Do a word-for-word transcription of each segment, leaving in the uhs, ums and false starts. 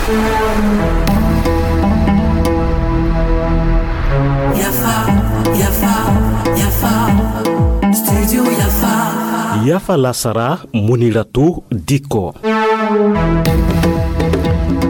Yafa, yafa, yafa. Studio yafa. Yafa lasara, Muniratu Dikko.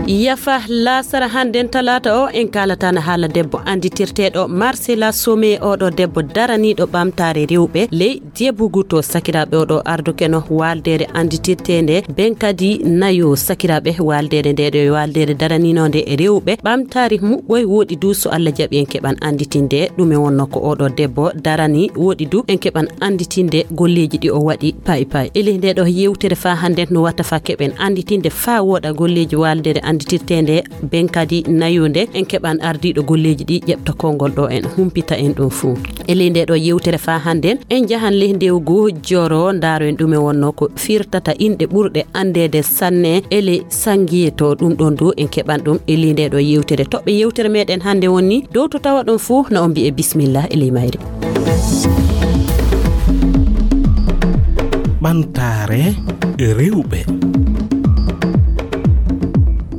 Yafa lasara hannden talaata o, en kaalata na haala debbo annditirteeɗo Marcela Somé, oɗo debbo daraniiɗo ɓamtaare rewɓe ley Diebugu to. Sakiraaɓe, oɗo ardukeno waaldeere annditirteende Benkadi Nayo. Sakiraaɓe, waaldeere nde ɗo waaldeere daraninoonde e rewɓe ɓamtaari muɓɓoy. Wooɗi du, so Allah jaɓi, en keɓan annditinde ɗume wonno ko oɗo debbo darani. Wooɗi du, en keɓan annditinde golleeji ɗi o waɗi payi payi. E ley nde ɗo yewtere faa hannden no watta faa keɓen annditinde faa wooɗa golleeji waaldeere annditirteende Benkadi Nayo nde, en keɓan ardiiɗo golleeji ɗi ƴeɓta konngol ɗo, en humpita en ɗum fuu. E ley nde ɗo yewtere faa hannden, en njahan ley ndewgu Joro, ndaaro en ɗume wonno ko firtata inɗe ɓurɗe anndeede sanne e ley Sangiye to. Ɗum ɗon du en keɓan ɗum e ley nde ɗo yewtere. Toɓɓe yewtere meɗen hannde woni dow to tawa ɗon fuu, na on mbi'e bismillah e ley mayre. Ɓamtaare rewɓe.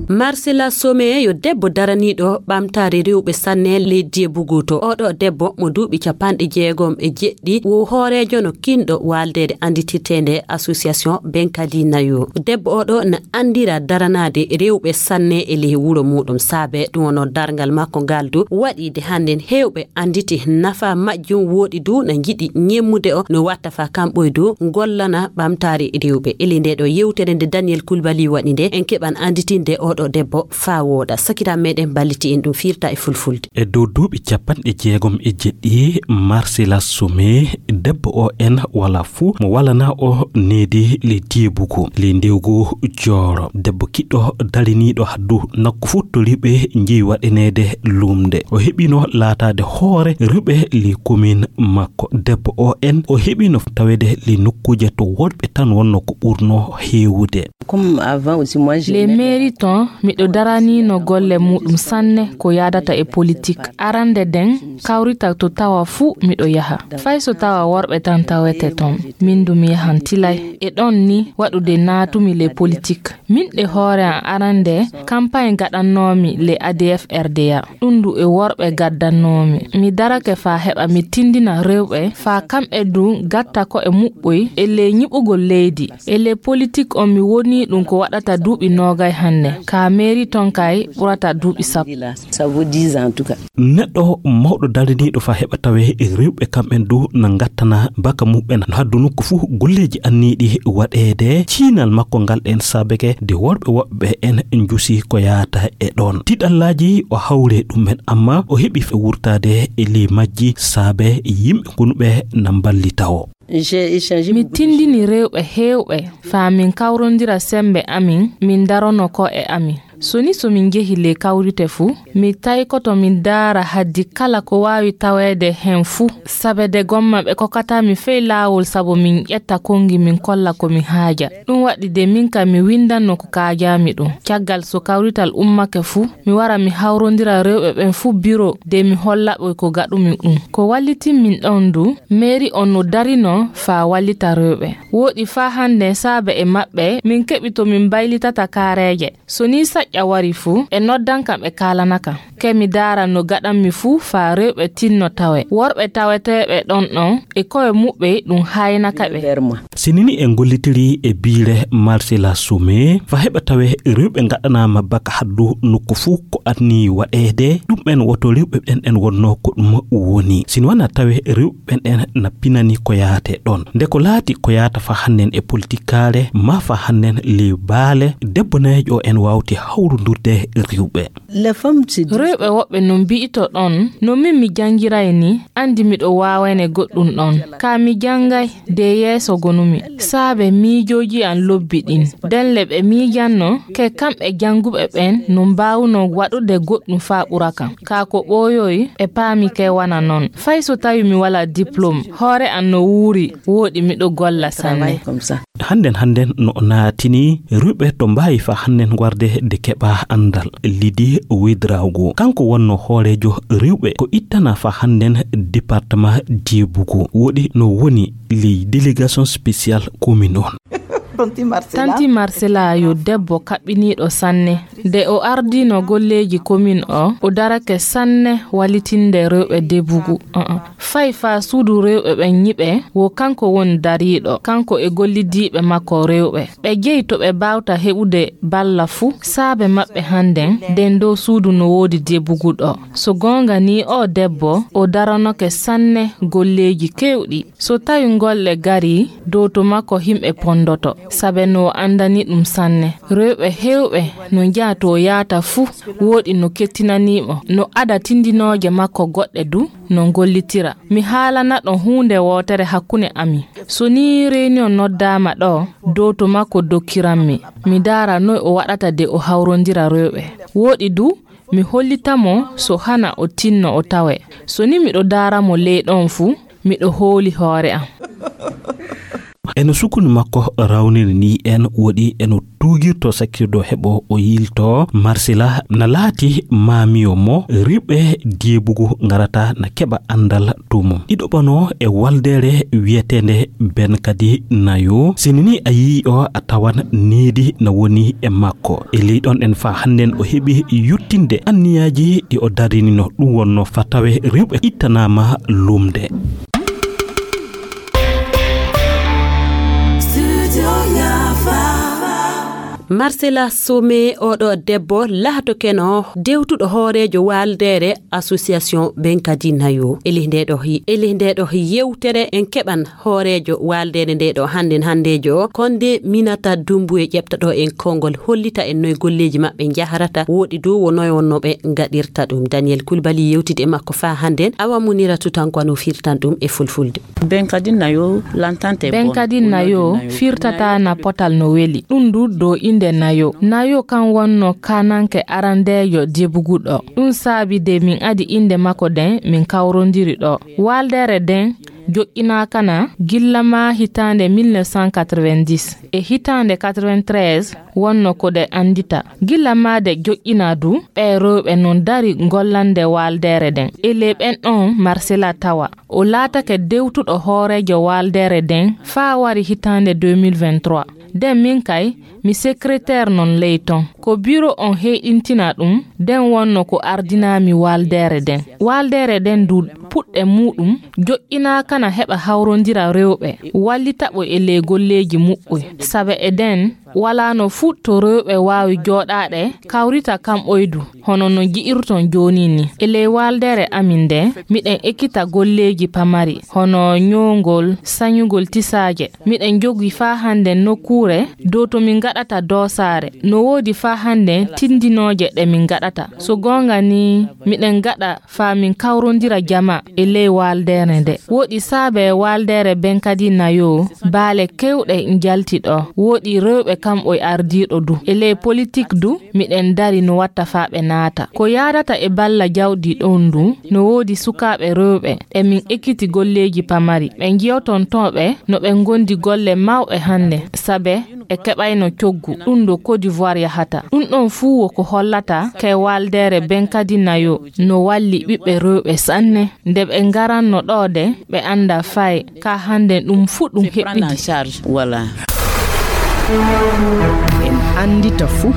Marcela Somé yo debbo daraniiɗo ɓamtaare rewɓe sanne ley Diebugu to. Oɗo debbo mo duuɓi capanɗe jeegom e jeɗɗi, wo hooreejo no kinɗo waaldeede annditirteende Association Benkadi Nayo. Debbo oɗo na anndira daranaade rewɓe sanne e ley wuro muɗum. Saabe ɗum wonno darngal makko ngal du waɗiide hannden heewɓe annditi nafa majjum. Wooɗi du na njiɗi ñemmude o no watta faa kamɓoy du ngollana ɓamtaare rewɓe. E ley nde ɗo yewtere nde Daniel Kulbali waɗi nde, en keɓan annditinde oɗo debbo faa wooɗa. Sakiraaɓe meɗen mballiti en ɗum firta e fulfulde. E dow duuɓi capanɗe jeegom e jeɗɗi, Marcela Somé, debbo o en wala fuu mo walana o needi ley Diebugu, ley ndewgu Jooro. Debbo kiɗɗo dariniiɗo haddu nokku fuu to rewɓe njeyi waɗaneede lumnde. O heɓino laataade hoore rewɓe ley komin makko. Debbo o en o heɓino taweede ley nokkuuje to worɓe tan wonno ko ɓurno heewude. Comme avant aussi, moi, j'ai Les mairies ton, miɗo daraniino golle muɗum sanne ko yaadata e politique. Arande nden, kawrital to tawa fuu miɗo yaha. Fay so tawa worɓe tan tawete ton, min du mi yahan tilay. E ɗon ni waɗude naatumi ley politique. Min ɗe hoore am arande, campagne gaɗannoomi ley A D F R D A. Ɗum du e worɓe gaddannoomi. Mi darake faa heɓa mi tindina rewɓe, faa kamɓe du gatta ko'e muɓɓoy e ley nyiɓugol leydi. E ley politik on mi wonii ɗum ko waɗata duuɓi noogay hannde. Ka mairie ton kay ɓurata duuɓi sappo. Ça vaut dix ans en tout cas. Neɗɗo mawɗo daraniiɗo faa heɓa tawee e rewɓe kamɓen du na ngattana baka muɓɓen no haddu nokku fuu golleeji anniiɗi waɗeede. Ciinal makko ngal en saabeke de worɓe woɓɓe en njusi ko yaata e ɗon. Tiɗallaaji o hawre ɗum'en, amma o heɓi fe wurtaade e ley majji saabe yimɓe konuɓe na mballita o. J'ai échangé Mi beaucoup de tindini rewɓe heewɓe faa min kawrondira semmbe amin, min darono ko'e amin. So ni so min njehi ley kawrite fuu, mi taykoto min daara haddi kala ko waawi taweede hen fuu. Sabe de gomma ɓe kokkataa mi fey laawol sabu min ƴetta konngi min kolla ko mi haaja. Ɗum waɗi de min kam mi winndanno ko kaajaami ɗum. Caggal so kawrital ummake fuu, mi wara mi hawrondira rewɓe ɓen fuu biro de mi holla ɓe ko gaɗumi ɗum. Ko wallitin min ɗon du, mairie on no darino faa wallita rewɓe. Wooɗi faa hannde saabe e maɓɓe min keɓi to min mbaylitata kaareeje. So nii saƴƴa wari fuu, ɓe noddan kam ɓe kaalana kam. Ke mi daara no gaɗanmi fuu faa rewɓe tinno tawe. Worɓe taweteeɓe ɗon ɗon e ko'e muɓɓe ɗum haaynaka ɓe. Si nii en ngollitirii e biire Marcela Somé, faa heɓa tawee rewɓe ngaɗanaama baka haddu nokku fuu ko anniyii waɗeede, ɗum'en woto rewɓe ɓen en wonno ko ɗum woni. Si nii wanaa tawee rewɓe ɓen en na pinani ko yaate ɗon. Nde ko laati ko yaata faa hannden e politikaare, maa faa hannden ley baale, debbo neejo en waawti hawrondurde rewɓe. Les femmes se disent Rewɓe woɓɓe no mbi'ito ɗon, no min mi janngiray ni, anndi miɗo waawayne goɗɗum ɗon. Kaa mi janngay, de yeeso gonumi. Saabe miijooji an lobbi ɗin. Nden le ɓe miijanno, ke kamɓe jannguɓe ɓen no mbaawuno waɗude goɗɗum faa ɓura kam. Kaa ko ɓooyoyi, ɓe paami ke wana non. Fay so tawi mi walaa diplôme, hoore an no wuuri, wooɗi miɗo golla sanne. Hannden hannden no o naatini rewɓe to mbaawi faa hannden warde de keɓa anndal. Lydie Ouédraogo, kanko wonno hooreejo rewɓe ko ittana faa hannden département Diebugu. Wooɗi no woni ley délégation spéciale commune on. Tanti Marcela yo debbo kaɓɓiniiɗo sanne. Nde o ardino golleeji komin o, o darake sanne wallitinde rewɓe debugu. Uh-uh. Fay faa suudu rewɓe ɓen nyiɓe, wo kanko woni dariiɗo, kanko e gollidiiɓe makko rewɓe. Ɓe jeyi to ɓe baawta heɓude balla fuu, saabe maɓɓe hannden, nden dow suudu no woodi debugu ɗo. So goonga nii, o debbo, o daranoke sanne golleeji keewɗi. So tawi golle garii, dow to makko himɓe pondoto, saabe no o anndani ɗum sanne. Rewɓe heewɓe no njaha to o yahata fuu, wooɗi no kettinanii mo, no ada tindinooje makko goɗɗe du, no gollitira. Mi haalana ɗon huunde wootere hakkunde amin. So nii reunion noddaama ɗo, dow to makko dokkiranmi. Mi daara noy o waɗata de o hawrondira rewɓe. Wooɗi du, mi hollita mo so hana o tinno o tawe. So ni miɗo daara mo ley ɗon fuu, miɗo hooli hoore am. Eno sukuni makko rawniri ni en woɗi eno tuugirto sakkirdo heɓo o yilto Marsila na laati maamiyo mo riɓɓe deebugu ngarata na keɓa anndal to mum. Iɗo ɓano e waldeere wiyeteende Ben Kadi Nayo. Sini ni a yii o a tawan needi na woni e makko. E ley ɗon en faa hannden o heɓi yuttinde anniyaaji ɗi o darinino ɗum wonno faa tawe riwɓe ittanaama lumde. Marcela Somé, oɗo debbo laatokeno dewtuɗo hooreejo waaldeere association Ben Kadi Nayo. Eli nde ɗo hi-, eli nde ɗo yewtere en keɓan hooreejo waaldeere nde ɗo hannden hanndeejo o, Konde Minata Dumbuye ƴeɓta ɗo en konngol hollita en noy golleeji maɓɓe njahrata, wooɗi dow wo noy wonno ɓe ngaɗirta ɗum. Daniel Kulbali yewtidi e makko faa hannden, Awa Munira Tutankwa no firtan ɗum e fulfulde. Ben Kadi Nayo lantante Ben Kadi Nayo firtata na potal no weli. Ɗum du dow innde Nayo. Nayo kan wonno kananke arandeejo debugu ɗo. Ɗum saabi de min adi innde makko den min kawrondiri ɗo. Waaldeere den joƴƴinaakana gilla maa hitaande mille neuf cent quatre-vingt-dix. E hitaande quatre-vingt-treize wonno ko ɗe anndita. Gilla maa ɗe joƴƴinaa du, ɓee rewɓe non dari gollande waaldeere den. E ley ɓen ɗon Marsela tawa. O laatake dewtuɗo hooreejo waaldeere den faa wari hitaande deux mille vingt-trois. Den min kay, mi secrétaire non ley ton. Ko biro on heyɗintina ɗum, den wonno ko ardinaami waaldeere den. Waaldeere den du puɗɗe muuɗum, joƴƴinaakana heɓa hawrondira rewɓe, wallita ɓe e ley golleeji muɓɓoy. Saabe e den, walaano fuu to rewɓe waawi jooɗaade, kawrita kamɓoy du, hono no nji'irton jooni ni. E ley waaldeere amin nde, miɗen ekkita golleeji pamari, hono ñoowgol, sañugol tisaaje. Miɗen jogii faa hannde nokkuure dow to min ngaɗata doosaare. No woodi faa hannde tindinooje ɗe min ngaɗata. So goonga ni, miɗen ngaɗa faa min kawrondira jama e ley waaldeere nde. Woɗi saabe waaldeere Ben Kadi Nayo, baale kewɗe njalti ɗo. Woɗi rewɓe kamɓoy ardiiɗo du. E ley politik du, miɗen dari no watta faa ɓe naata. Ko yaadata e balla jawdi ɗon du, no woodi sukaaɓe rewɓe, e min ekkiti golleeji pamari. Ɓe njiyoton to ɓe, no ɓe ngondi golle mawɓe hannde, saabe e keɓayno coggu. Ɗum ɗo Côte d'Ivoire yahata. Ɗum ɗon fuu wo ko hollata kay waaldeere Ben Kadi Nayo no walli ɓiɓɓe rewɓe sanne. Nde ɓe ngaranno ɗo de, ɓe annda fay ka hannde ɗum fuu ɗum heɓɓidi. Voilà. En anndita fuu.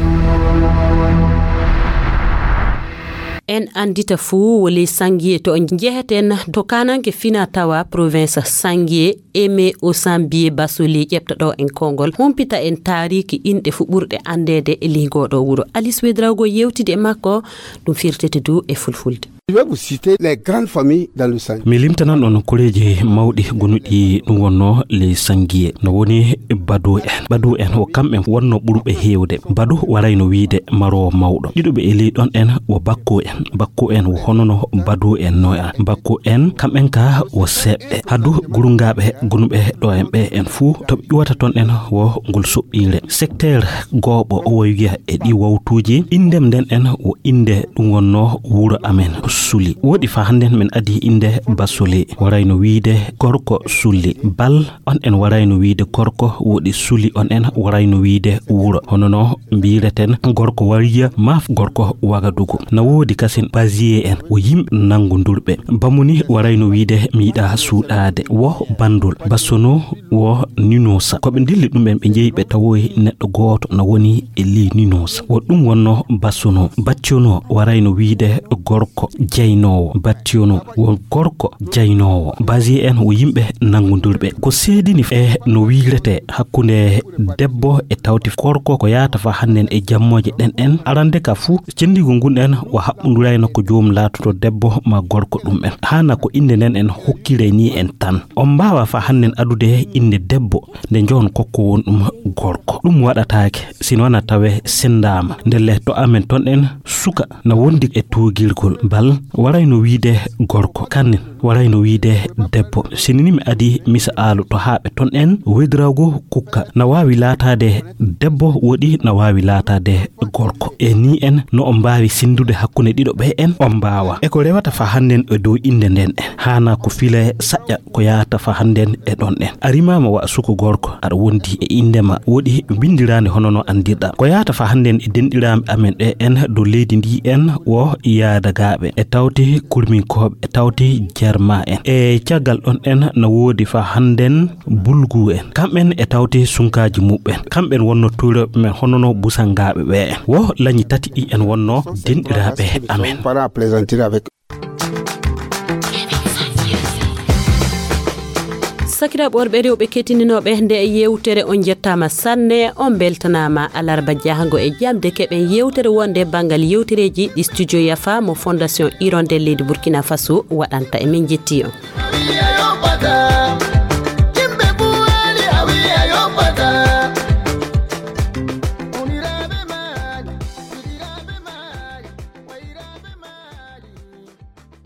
En anndita fuu woli Sangie to njeheten to kananke fina tawa province Sangie, Aimé Osambié Basoli ƴeɓta ɗo en konngol, humpita en taariiki inɗe fuu ɓurɗe anndeede e ley ngoo ɗo wuro. Alice Ouédraogo yewtidi e makko, ɗum firtete du e fulfulde. Je vais vous citer les grandes familles dans le Sangi. Mi limtanan on koreeji mawɗi gonuɗi ɗum wonno ley Sangie. No woni Badu en. Badu en wo kamɓe wonno ɓurɓe heewde. Badu warayno wiide maroowo mawɗo. Ɗiɗuɓe e ley ɗon en wo Bakko en. Bakko en wo honono Badu en no en. Bakko en kamɓen ka wo seeɓɓe. Hadu gurungaaɓe gonuɓe ɗo en ɓe en fuu to ɓe ƴuwata ton en wo ngol soɓɓiire. Secteur gooɓo o wo wiya e ɗi wawtuuji. Inndem nden en wo innde ɗum wonno wuro amen. suli. Woɗi fa hannden men adi innde Basole, warayno wiide gorko suli. Bal on en warayno wiide gorko woɗi suli on en warayno wiide wuro. Hono no mbiireten gorko Wariya maaf gorko Wagadugu. Na woodi kasin Baziye en wo yimɓe nanngundurɓe. Bamuni warayno wiide mi yiɗa suuɗaade. Wo Bandul, Basono wo Ninosa. Ko ɓe ndilli ɗum en ɓe njeyi ɓe tawoyi neɗɗo gooto na woni e ley Ninosa. Wo ɗum wonno Basono. Battiyono warayno wiide gorko jaynoowo. Battiyono wo gorko jaynoowo. Baziye en wo yimɓe nanngundurɓe. Ko seedini e no wiirete hakkunde debbo e tawti gorko ko yaata fa hannden e jammooje ɗen en. Arande ka fuu, cenndigol ngun en wo haɓɓundurayno ko joom laatoto debbo ma gorko ɗum en. Haana ko innde nden en hokkiray ni en tan. On mbaawa fa hannden adude innde debbo nde njohon kokko won ɗum gorko. Ɗum waɗataake, sino wana tawe senndaama. Ndelle to amen ton en suka na wondi e tuugirgol. Bal warayno wiide gorko. Kannen warayno wiide debbo. Sinini mi adi misaalu to haaɓe ton en wedirago kukka. Na waawi laataade debbo woɗi na waawi laataade gorko. E ni en no on mbaawi senndude hakkunde ɗiɗo ɓe en on mbaawa. E ko rewata fa hannden e dow innde nden en. Haana ko file saƴƴa ko yaata fa hannden e ɗon en. A rimaama wa suko gorko, aɗa wondi e innde ma woɗi winndiraande hono no anndirɗa. Ko yaata fa hannden e denɗiraaɓe amen ɗe en dow leydi ndi en wo yaadagaaɓe, e tawti kurminkooɓe, e tawti jarma en. E caggal ɗon en na woodi fa hannden bulgu en. Kamɓen e tawti sunkaaji muɓɓen. Kamɓen wonno tuurooɓe men hono no busangaaɓe ɓe en. Wo lañi tati ɗi en wonno denɗiraaɓe amen. Parents plaisanterie avec Sakiraaɓe worɓe rewɓe kettininooɓe nde yewtere, on njettaama sanne, on mbeltanaama. Alarba jahango e jamde keɓen yewtere wonde banngal yewtereeji ɗi Studio Yafa mo Fondation Hirondelle leydi Burkina Faso waɗanta. E min njetti on.